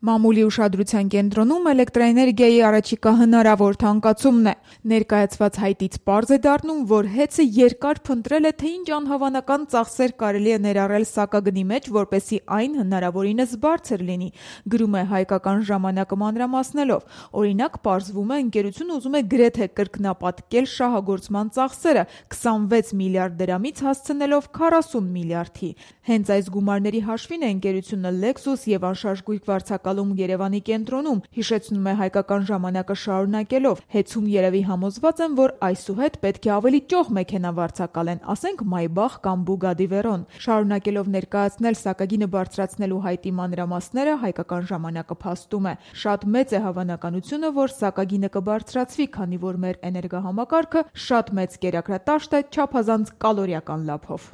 Մամուլի ուշադրության կենտրոնում էլեկտրաէներգիայի առաջիկա հնարավոր թանկացումն է։ Ներկայացված հայտից պարզ է դառնում, որ ՀԵՑ-ը երկար փնտրել է, թե ինչ անհավանական ծախսեր կարելի է ներառել սակագնի մեջ, որպեսզի այն հնարավորինս բարձր լինի, գրում է Հայկական ժամանակը մանրամասնելով։ Օրինակ, պարզվում է, ընկերությունը ուզում է գրեթե կրկնապատկել շահագործման ծախսերը 26 միլիարդ դրամից հասցնելով 40 միլիարդի։ Հենց այս գումարների հաշվին է ընկերությունը Lexus և անշարժ գույք վարձակալում Երևանի կենտրոնում, հիշեցնում է Հայկական ժամանակը շարունակելով։ ՀԵՑ-ում երևի համոզված են, որ այսուհետ պետք է ավելի ճոխ մեքենա վարձակալեն, ասենք Maybach կամ Bugatti Veyron։ Շարունակելով ներկայացնել սակագինը բարձրացնելու հայտի մանրամասները, Հայկական ժամանակը փաստում է. շատ մեծ է հավանականությունը, որ սակագինը կբարձրացվի, քանի որ մեր էներգահամակարգը շատ մեծ կերակրատաշտ է չափազանց կալորիական լափով։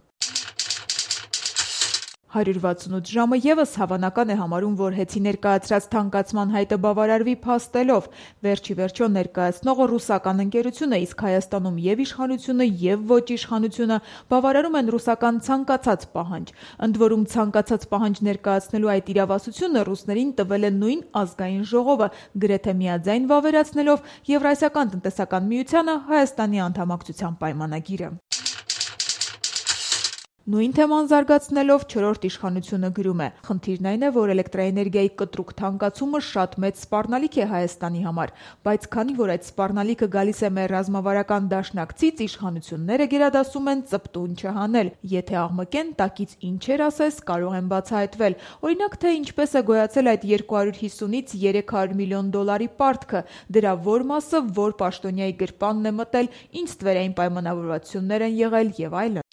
168 ժամը ևս հավանական է համարում, որ ՀԵՑ-ի ներկայացրած թանկացման հայտը բավարարվի փաստելով։ Վերջիվերջո ներկայացնողը ռուսական ընկերություն է, իսկ Հայաստանում և իշխանությունը, և ոչ իշխանությունը բավարարում են ռուսական ցանկացած պահանջ։ Ընդ որում, ցանկացած պահանջ ներկայացնելու այդ իրավասությունը ռուսներին տվել է նույն ազգային ժողովը, գրեթե միաձայն վավերացնելով Եվրասիական տնտեսական միությանը Հայաստանի անդամակցության պայմանագիրը։ Նույն թեման զարգացնելով չորրորդ իշխանությունը գրում է. խնդիրն այն է, որ էլեկտրաէներգիայի կտրուկ թանկացումը շատ մեծ սպառնալիք է Հայաստանի համար, բայց քանի որ այդ սպառնալիքը գալիս է մեր ռազմավարական դաշնակցից, իշխանությունները գերադասում են ծպտուն չհանել։ Եթե աղմկեն, տակից ինչեր ասես կարող են բացահայտվել։ Օրինակ, թե ինչպես է գոյացել այդ 250-ից 300 միլիոն դոլարի պարտքը, դրա որ մասը որ պաշտոնյայի գրպանն է մտել, ինչ ստվերային պայմանավորվածություններ են եղել եւ այլն։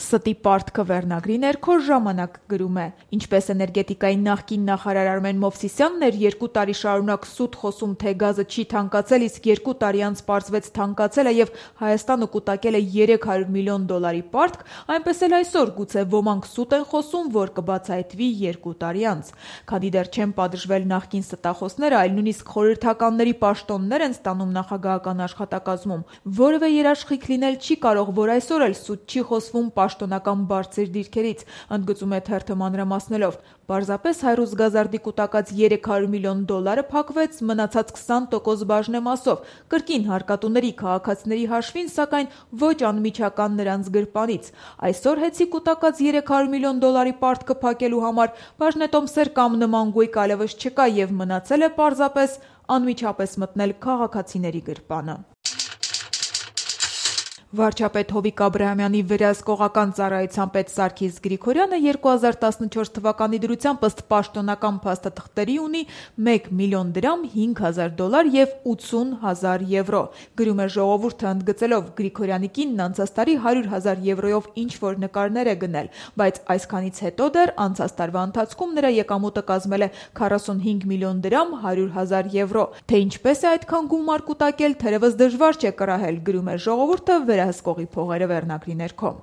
Ստի պարտքը վերնագրի ներքո ժամանակ գրում է. ինչպես էներգետիկայի նախկին նախարար Արմեն Մովսիսյանն էր 2 տարի շարունակ սուտ խոսում, թե գազը չի թանկացել, իսկ 2 տարի անց պարզվեց թանկացել է եւ Հայաստանը կուտակել է 300 միլիոն դոլարի պարտք, այնպես էլ այսօր գուցե ոմանք սուտ են խոսում, որ կբացահայտվի 2 տարի անց։ Քանի դեռ չեն պատժվել նախկին ստախոսները, այլ նույնիսկ խորհրդականների պաշտոններ են ստանում նախագահական աշխատակազմում, որևէ երաշխիք լինել չի կարող, որ այսօր էլ սուտ չի խոսվում պաշտոնական բարձր դիրքերից, ընդգծում է թերթը մանրամասնելով։ Պարզապես Հայրուզ Գազարդի կուտակած 300 միլիոն դոլարը փակվեց մնացած 20% բաժնեմասով, կրկին հարկատուների քաղաքացիների հաշվին, սակայն ոչ անմիջական նրանց գրպանից։ Այսօր ՀԵՑ-ի կուտակած 300 միլիոն դոլարի պարտքը փակելու համար բաժնետոմսեր կամ նման գույք այլևս չկա եւ մնացել է պարզապես անմիջապես մտնել քաղաքացիների գրպանը։ Վարչապետ Հովիկ Աբրահամյանի վերահսկողական ծառայության պետ Սարգիս Գրիգորյանը 2014 թվականի դրությամբ ըստ պաշտոնական փաստաթղթերի ունի 1 միլիոն դրամ, 5000 դոլար եւ 80,000 եվրո։ Գրում է Ժողովուրդը, ընդգծելով Գրիգորյանի կինն անցած տարի 100,000 եվրոյով ինչ-որ նկարներ է գնել, բայց այսքանից հետո դեռ անցած տարվա ընթացքում նրա եկամուտը կազմել է 45 միլիոն դրամ, 100,000 եվրո։ Թե ինչպես է այդքան գումար կուտակել, թերևս դժվար չէ կռահել, գրում է Ժողովուրդը վերահսկողի փողերը վերնագրի ներքո։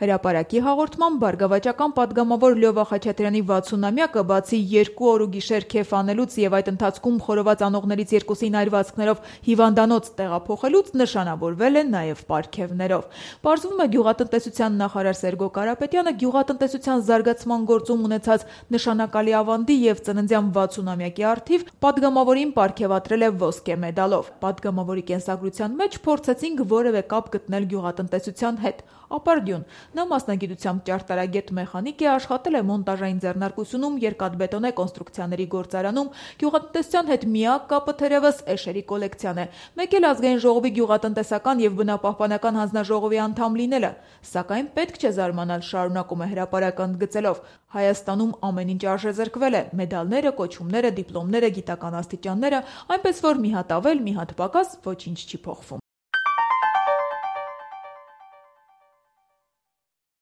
Հրապարակի հաղորդման բարգավաճական պատգամավոր Լյովա Խաչատրյանի 60-ամյակը բացի 2 օր ու գիշեր քեֆ անելուց եւ այդ ընթացքում խորոված անողներից երկուսին այրվածքներով հիվանդանոց տեղափոխելուց նշանավորվել է նաեւ պարգևներով։ Պարզվում է գյուղատնտեսության նախարար Սերգո Կարապետյանը գյուղատնտեսության զարգացման գործում ունեցած նշանակալի ավանդի եւ ծննդյան 60-ամյակի առթիվ պատգամավորին պարգևատրել է ոսկե մեդալով։ Պատգամավորի կենսագրության մեջ փորձեցինք որևէ կապ գտնել գյուղատնտեսության հետ։ Ապարդյուն։ Նա մասնագիտությամբ ճարտարագետ մեխանիկ է, աշխատել է մոնտաժային ձեռնարկությունում, երկաթբետոնե կոնստրուկցիաների գործարանում, գյուղատնտեսության հետ միակ կապը թերևս էշերի կոլեկցիան է, մեկ էլ ազգային ժողովի գյուղատնտեսական եւ բնապահպանական հանձնաժողովի անդամ լինելը, սակայն պետք չէ զարմանալ, շարունակում է հրապարակը ընդգծելով, Հայաստանում ամեն ինչ արժեզրկվել է, մեդալները, կոչումները, դիպլոմները, գիտական աստիճանները, այնպես որ մի հատ ավել, մի հատ պակաս ոչինչ չի փոխվում։